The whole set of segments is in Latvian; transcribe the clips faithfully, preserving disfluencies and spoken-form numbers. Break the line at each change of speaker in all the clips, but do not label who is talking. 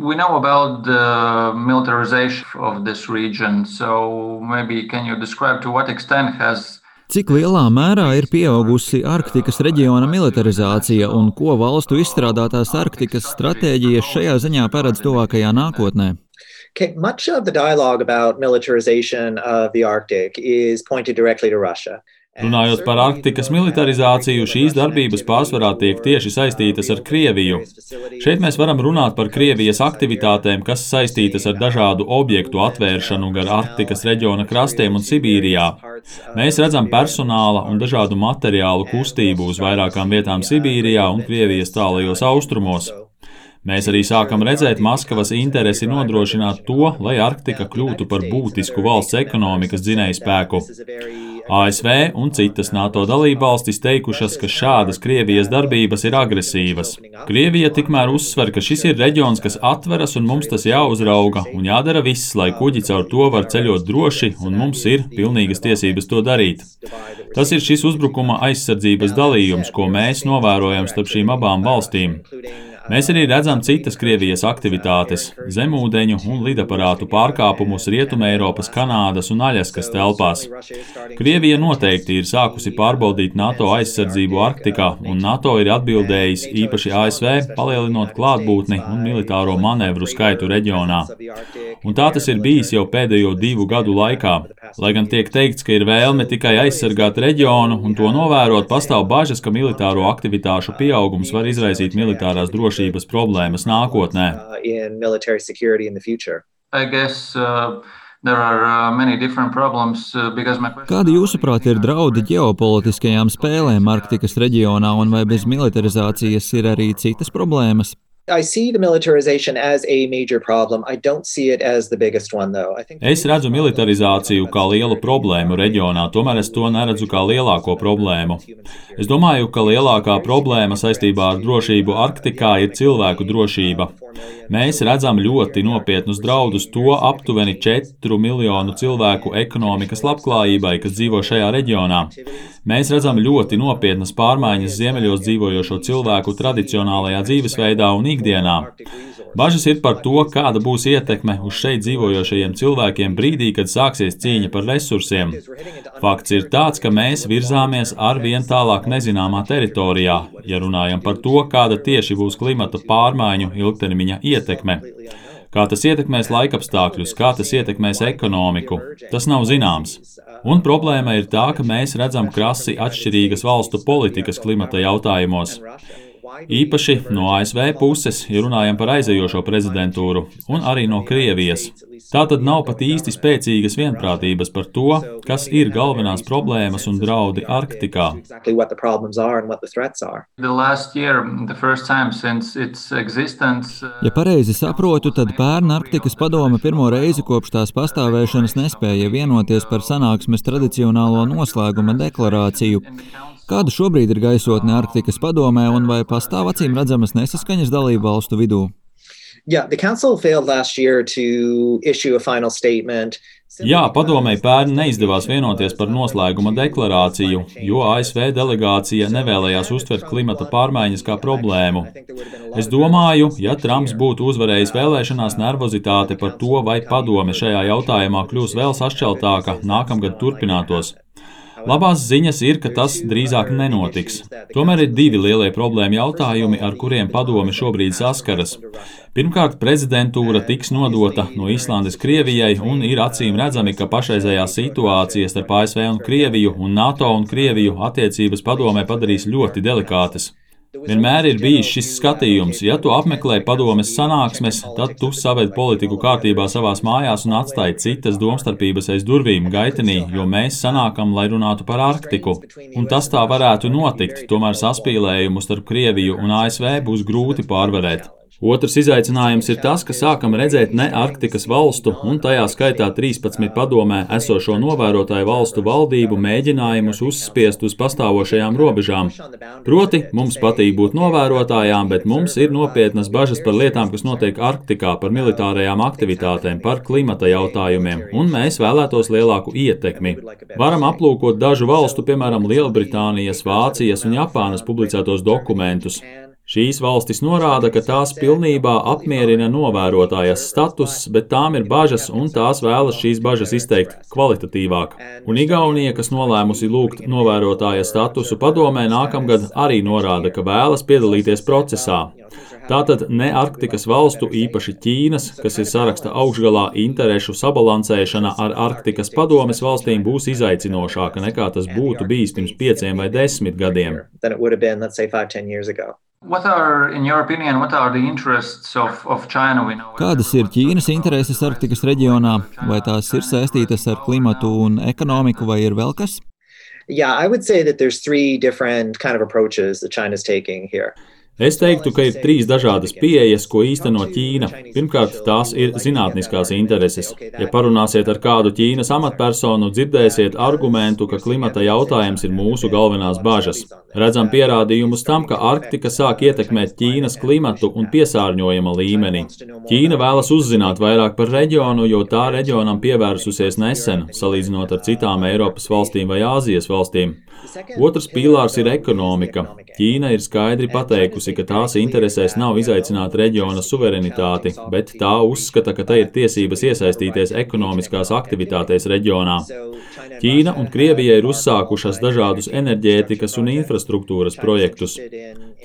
we know about the militarization of this region, so maybe can you describe to what extent has
Cik lielā mērā ir pieaugusi Arktikas reģiona militarizācija un ko valstu izstrādātās Arktikas stratēģijas šajā ziņā paredz tuvākajā nākotnē?
Okay, much of the dialogue about militarization of the Arctic is pointed directly to Russia.
Runājot par Arktikas militarizāciju, šīs darbības pārsvarā tiek tieši saistītas ar Krieviju. Šeit mēs varam runāt par Krievijas aktivitātēm, kas saistītas ar dažādu objektu atvēršanu gar Arktikas reģiona krastiem un Sibīrijā. Mēs redzam personāla un dažādu materiālu kustību uz vairākām vietām Sibīrijā un Krievijas tālajos austrumos. Mēs arī sākam redzēt Maskavas interesi nodrošināt to, lai Arktika kļūtu par būtisku valsts ekonomikas dzinējspēku. A S V un citas NATO dalībvalstis teikušas, ka šādas Krievijas darbības ir agresīvas. Krievija tikmēr uzsver, ka šis ir reģions, kas atveras un mums tas jāuzrauga un jādara viss, lai kuģi caur to var ceļot droši un mums ir pilnīgas tiesības to darīt. Tas ir šis uzbrukuma aizsardzības dalījums, ko mēs novērojam starp šīm abām valstīm. Mēs arī redzam citas Krievijas aktivitātes – zemūdeņu un lidaparātu pārkāpumus Rietumē Eiropas, Kanādas un Aļaskas telpās. Krievija noteikti ir sākusi pārbaudīt NATO aizsardzību Arktikā, un NATO ir atbildējis īpaši A S V, palielinot klātbūtni un militāro manevru skaitu reģionā. Un tā tas ir bijis jau pēdējo divu gadu laikā. Lai gan tiek teikts, ka ir vēlme tikai aizsargāt reģionu un to novērot, pastāv bažas, ka militāro aktivitāšu pieaugums var izraisīt militārās drošības problēmas nākotnē.
I guess, uh... There are many different problems because my question...
Kādi jūsuprāt ir draudi ģeopolitiskajām spēlēm Arktikas reģionā un vai bez militarizācijas ir arī citas problēmas?
I see the militarization as a major problem. I don't see it as the biggest one, though. I think...
Es redzu militarizāciju kā lielu problēmu reģionā, tomēr es to neredzu kā lielāko problēmu. Es domāju, ka lielākā problēma saistībā ar drošību Arktikā ir cilvēku drošība. Mēs redzam ļoti nopietnus draudus to aptuveni četru miljonu cilvēku ekonomikas labklājībai, kas dzīvo šajā reģionā. Mēs redzam ļoti nopietnas pārmaiņas ziemeļos dzīvojošo cilvēku tradicionālajā dzīvesveidā un ikdienā. Bažas ir par to, kāda būs ietekme uz šeit dzīvojošajiem cilvēkiem brīdī, kad sāksies cīņa par resursiem. Fakts ir tāds, ka mēs virzāmies arvien tālāk nezināmā teritorijā, ja runājam par to, kāda tieši būs klimata pārmaiņu ilgtermiņa ietekme. Kā tas ietekmēs laikapstākļus, kā tas ietekmēs ekonomiku, tas nav zināms. Un problēma ir tā, ka mēs redzam krasi atšķirīgas valstu politikas klimata jautājumos. Īpaši no A S V puses, ja runājam par aizejošo prezidentūru, un arī no Krievijas. Tā tad nav pat īsti spēcīgas vienprātības par to, kas ir galvenās problēmas un draudi Arktikā.
Ja pareizi saprotu, tad pērn Arktikas padome pirmo reizi kopš tās pastāvēšanas nespēja vienoties par sanāksmes tradicionālo noslēguma deklarāciju. Kāda šobrīd ir gaisotne Arktikas padomē un vai pastāv acīm redzamas nesaskaņas dalību valstu vidū?
Yeah, the council failed last year to issue a final statement.
Jā, padomei pērn neizdevās vienoties par noslēguma deklarāciju, jo A S V delegācija nevēlējās uztvert klimata pārmaiņas kā problēmu. Es domāju, ja Trumps būtu uzvarējis vēlēšanās, nervozitāte par to, vai padome šajā jautājumā kļūs vēl sašķeltāka, nākamgad turpinātos. Labās ziņas ir, ka tas drīzāk nenotiks. Tomēr ir divi lielie problēma jautājumi, ar kuriem padome šobrīd saskaras. Pirmkārt, prezidentūra tiks nodota no Islandes Krievijai un ir acīm redzami, ka pašreizējā situācija starp A S V un Krieviju un NATO un Krieviju attiecības padomē padarīs ļoti delikātas. Vienmēr ir bijis šis skatījums, ja tu apmeklē padomes sanāksmes, tad tu saved politiku kārtībā savās mājās un atstāji citas domstarpības aiz durvīm gaitenī, jo mēs sanākam, lai runātu par Arktiku. Un tas tā varētu notikt, tomēr saspīlējumu starp Krieviju un A S V būs grūti pārvarēt. Otrs izaicinājums ir tas, ka sākam redzēt ne Arktikas valstu un tajā skaitā trīspadsmit padomē esošo novērotāju valstu valdību mēģinājumus uzspiest uz pastāvošajām robežām. Proti, mums patīk būt novērotājām, bet mums ir nopietnas bažas par lietām, kas notiek Arktikā, par militārajām aktivitātēm, par klimata jautājumiem, un mēs vēlētos lielāku ietekmi. Varam aplūkot dažu valstu, piemēram, Lielbritānijas, Vācijas un Japānas publicētos dokumentus. Šīs valstis norāda, ka tās pilnībā apmierina novērotājas status, bet tām ir bažas un tās vēlas šīs bažas izteikt kvalitatīvāk. Un Igaunija, kas nolēmusi lūgt novērotājas statusu padomē, nākamgad arī norāda, ka vēlas piedalīties procesā. Tātad ne Arktikas valstu, īpaši Ķīnas, kas ir saraksta augšgalā, interešu sabalansēšana ar Arktikas padomes valstīm būs izaicinošāka nekā tas būtu bijis pirms pieciem vai desmit gadiem.
What are, in your opinion, what are the interests of, of China? We know...
Kādas ir Ķīnas intereses Arktikas reģionā? Vai tās ir saistītas ar klimatu un ekonomiku, vai ir vēl kas?
Yeah, I would say that there's three different kind of approaches that China's taking here.
Es teiktu, ka ir trīs dažādas pieejas, ko īsteno Ķīna. Pirmkārt, tās ir zinātniskās intereses. Ja parunāsiet ar kādu Ķīnas amatpersonu, dzirdēsiet argumentu, ka klimata jautājums ir mūsu galvenās bažas. Redzam pierādījumus tam, ka Arktika sāk ietekmēt Ķīnas klimatu un piesārņojuma līmeni. Ķīna vēlas uzzināt vairāk par reģionu, jo tā reģionam pievērsusies nesen, salīdzinot ar citām Eiropas valstīm vai Āzijas valstīm. Otrs pīlārs ir ekonomika. Ķīna ir skaidri pateikusi, ka tās interesēs nav izaicināt reģiona suverenitāti, bet tā uzskata, ka tai ir tiesības iesaistīties ekonomiskās aktivitātēs reģionā. Ķīna un Krievija ir uzsākušas dažādus enerģētikas un infrastruktūras projektus.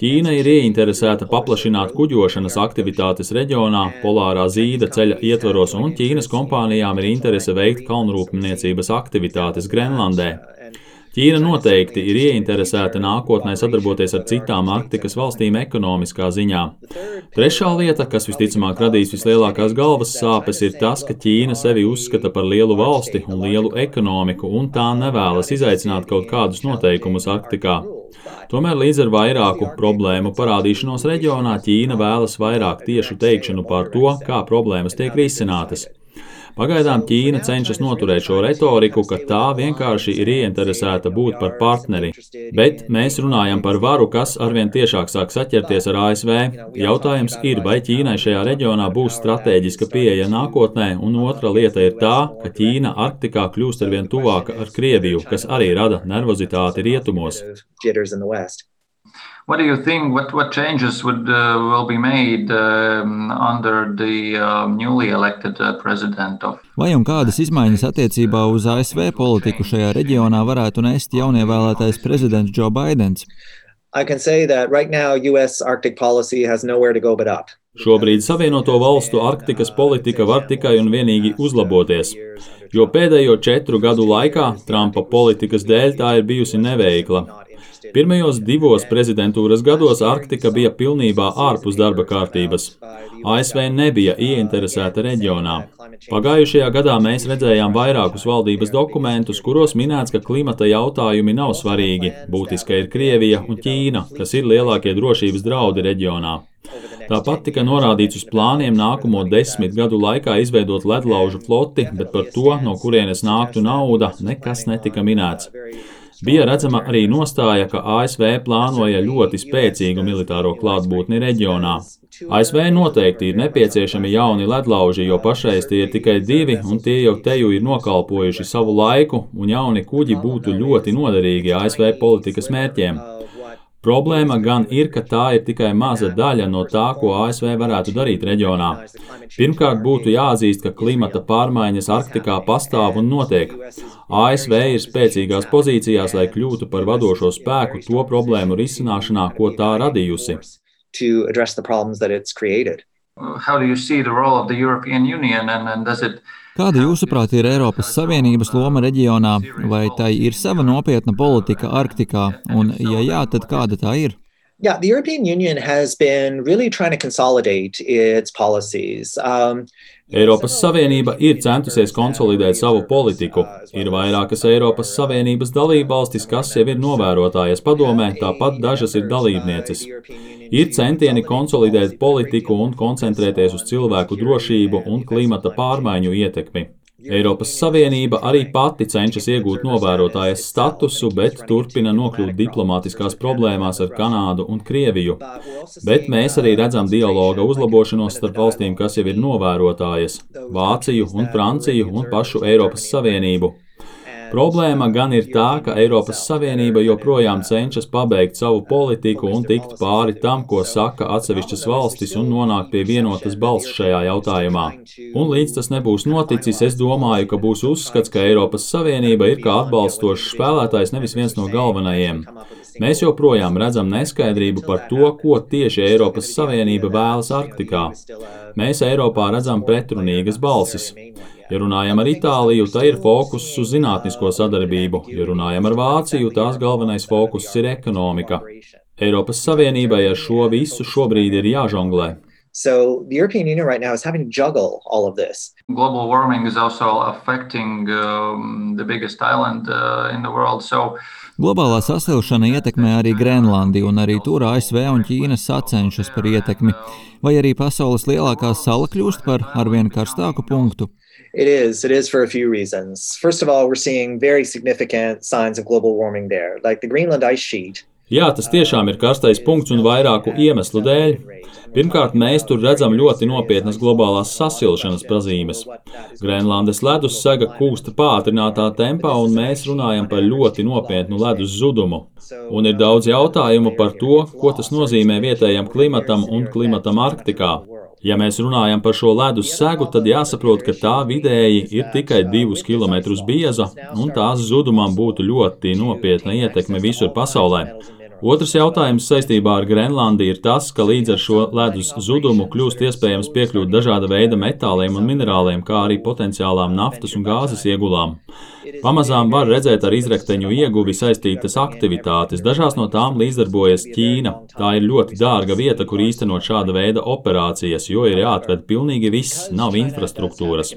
Ķīna ir ieinteresēta paplašināt kuģošanas aktivitātes reģionā, polārā zīda ceļa ietvaros, un Ķīnas kompānijām ir interese veikt kalnrūpniecības aktivitātes Grenlandē. Ķīna noteikti ir ieinteresēta nākotnē sadarboties ar citām Arktikas valstīm ekonomiskā ziņā. Trešā lieta, kas visticamāk radīs vislielākās galvas sāpes, ir tas, ka Ķīna sevi uzskata par lielu valsti un lielu ekonomiku, un tā nevēlas izaicināt kaut kādus noteikumus Arktikā. Tomēr līdz ar vairāku problēmu parādīšanos reģionā Ķīna vēlas vairāk tiešu teikšanu par to, kā problēmas tiek risinātas. Pagaidām Ķīna cenšas noturēt šo retoriku, ka tā vienkārši ir ieinteresēta būt par partneri. Bet mēs runājam par varu, kas arvien tiešāk sāk saķerties ar A S V. Jautājums ir, vai Ķīnai šajā reģionā būs stratēģiska pieeja nākotnē, un otra lieta ir tā, ka Ķīna Arktikā kļūst arvien tuvāka ar Krieviju, kas arī rada nervozitāti rietumos.
What do you think? What what changes would uh, will be made um, under the uh, newly elected uh, president of?
Vai un kādas izmaiņas attiecībā uz A S V politiku šajā reģionā varētu nest jaunievēlētais prezidents Joe Bidens?
I can say that right now U S Arctic policy has nowhere to go but up.
Šobrīd Savienoto valstu Arktikas politika var tikai un vienīgi uzlaboties, jo pēdējo četru gadu laikā Trumpa politikas dēļ tā ir bijusi neveikla. Pirmajos divos prezidentūras gados Arktika bija pilnībā ārpus darba kārtības. A S V nebija ieinteresēta reģionā. Pagājušajā gadā mēs redzējām vairākus valdības dokumentus, kuros minēts, ka klimata jautājumi nav svarīgi. Būtiska ir Krievija un Ķīna, kas ir lielākie drošības draudi reģionā. Tāpat tika norādīts uz plāniem nākamo desmit gadu laikā izveidot ledlaužu floti, bet par to, no kurienes nāktu nauda, nekas netika minēts. Bija redzama arī nostāja, ka A S V plānoja ļoti spēcīgu militāro klātbūtni reģionā. A S V noteikti ir nepieciešami jauni ledlauži, jo pašreiz tie ir tikai divi, un tie jau teju ir nokalpojuši savu laiku, un jauni kuģi būtu ļoti noderīgi A S V politikas mērķiem. Problēma gan ir, ka tā ir tikai maza daļa no tā, ko A S V varētu darīt reģionā. Pirmkārt, būtu jāatzīst, ka klimata pārmaiņas Arktikā pastāv un notiek. A S V ir spēcīgās pozīcijās, lai kļūtu par vadošo spēku to problēmu risināšanā, ko tā radījusi.
How do you see the role of the European Union and, and does it
Kāda jūsuprāt ir Eiropas Savienības loma reģionā, vai tai ir sava nopietna politika Arktikā, un ja jā, tad kāda tā ir?
Yeah, the European Union has been really trying to consolidate its policies. Um,
Eiropas Savienība ir centusies konsolidēt savu politiku. Ir vairākas Eiropas Savienības dalībvalstis, kas jau ir novērotājas padomē, tāpat dažas ir dalībnieces. Ir centieni konsolidēt politiku un koncentrēties uz cilvēku drošību un klimata pārmaiņu ietekmi. Eiropas Savienība arī pati cenšas iegūt novērotājas statusu, bet turpina nokļūt diplomātiskās problēmās ar Kanādu un Krieviju. Bet mēs arī redzam dialoga uzlabošanos starp valstīm, kas jau ir novērotājas – Vāciju un Franciju un pašu Eiropas Savienību. Problēma gan ir tā, ka Eiropas Savienība joprojām cenšas pabeigt savu politiku un tikt pāri tam, ko saka atsevišķas valstis un nonākt pie vienotas balss šajā jautājumā. Un līdz tas nebūs noticis, es domāju, ka būs uzskats, ka Eiropas Savienība ir kā atbalstošs spēlētājs, nevis viens no galvenajiem. Mēs joprojām redzam neskaidrību par to, ko tieši Eiropas Savienība vēlas Arktikā. Mēs Eiropā redzam pretrunīgas balsis. Ja runājam ar Itāliju, tā ir fokus uz zinātnisko sadarbību. Ja runājam ar Vāciju, tās galvenais fokus ir ekonomika. Eiropas Savienībai ar šo visu šobrīd ir jāžonglē.
So the European Union right now is having to juggle all of this.
Global warming is also affecting um, the biggest island uh, in the world. So
Globālā sasilšana ietekmē arī Grenlandi, un arī tur A S V un Ķīna sacenšas par ietekmi. Vai arī pasaules lielākā sala kļūst par arvien karstāku punktu?
It is. It is for a few reasons. First of all, we're seeing very significant signs of global warming there, like the Greenland ice sheet.
Jā, tas tiešām ir karstais punkts un vairāku iemeslu dēļ. Pirmkārt, mēs tur redzam ļoti nopietnas globālās sasilšanas pazīmes. Grenlandes ledus sega kūsta pātrinātā tempā, un mēs runājam par ļoti nopietnu ledus zudumu. Un ir daudz jautājumu par to, ko tas nozīmē vietējam klimatam un klimatam Arktikā. Ja mēs runājam par šo ledus segu, tad jāsaprot, ka tā vidēji ir tikai divus kilometrus bieza, un tās zudumam būtu ļoti nopietna ietekme visur pasaulē. Otrs jautājums saistībā ar Grenlandi ir tas, ka līdz ar šo ledus zudumu kļūst iespējams piekļūt dažāda veida metāliem un minerāliem, kā arī potenciālām naftas un gāzes iegulām. Pamazām var redzēt ar izrakteņu ieguvi saistītas aktivitātes, dažās no tām līdzdarbojas Ķīna. Tā ir ļoti dārga vieta, kur īstenot šāda veida operācijas, jo ir jāatved pilnīgi viss, nav infrastruktūras.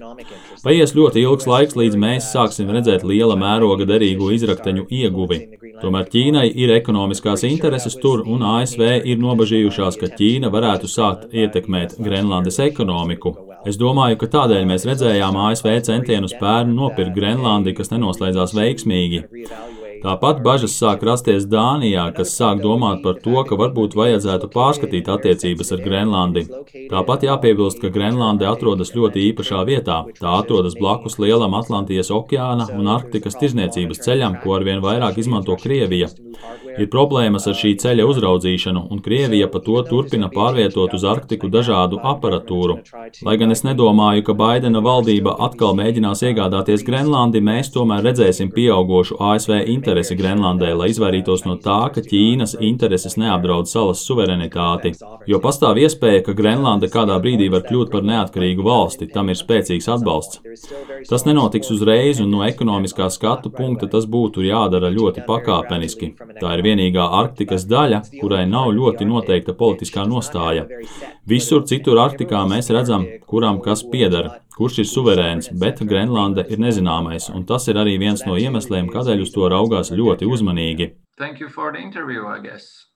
Paies ļoti ilgs laiks, līdz mēs sāksim redzēt liela mēroga derīgu izrakteņu ieguvi. Tomēr Ķīnai ir ekonomiskās intereses tur, un A S V ir nobažījušās, ka Ķīna varētu sākt ietekmēt Grenlandes ekonomiku. Es domāju, ka tādēļ mēs redzējām A S V centienus pērn nopirkt Grenlandi, kas nenoslēdzās veiksmīgi. Tāpat bažas sāk rasties Dānijā, kas sāk domāt par to, ka varbūt vajadzētu pārskatīt attiecības ar Grenlandi. Tāpat jāpiebilst, ka Grenlande atrodas ļoti īpašā vietā. Tā atrodas blakus lielam Atlantijas okeāna un Arktikas tirzniecības ceļam, ko arvien vairāk izmanto Krievija. Ir problēmas ar šī ceļa uzraudzīšanu, un Krievija pa to turpina pārvietot uz Arktiku dažādu aparatūru. Lai gan es nedomāju, ka Baidena valdība atkal mēģinās iegādāties Grenlandi, mēs tomēr redzēsim pieaugošu A S V interesi Grenlandē, lai izvairītos no tā, ka Ķīnas intereses neapdraud salas suverenitāti. Jo pastāv iespēja, ka Grenlanda kādā brīdī var kļūt par neatkarīgu valsti, tam ir spēcīgs atbalsts. Tas nenotiks uzreiz, un no ekonomiskā skatu punkta tas būtu jādara ļoti pakāpeniski. Tā ir vienīgā Arktikas daļa, kurai nav ļoti noteikta politiskā nostāja. Visur citur Arktikā mēs redzam, kuram kas pieder, kurš ir suverēns, bet Grenlande ir nezināmais, un tas ir arī viens no iemesliem, kādēļ uz to raugās ļoti uzmanīgi.
thank you for the interview, I guess.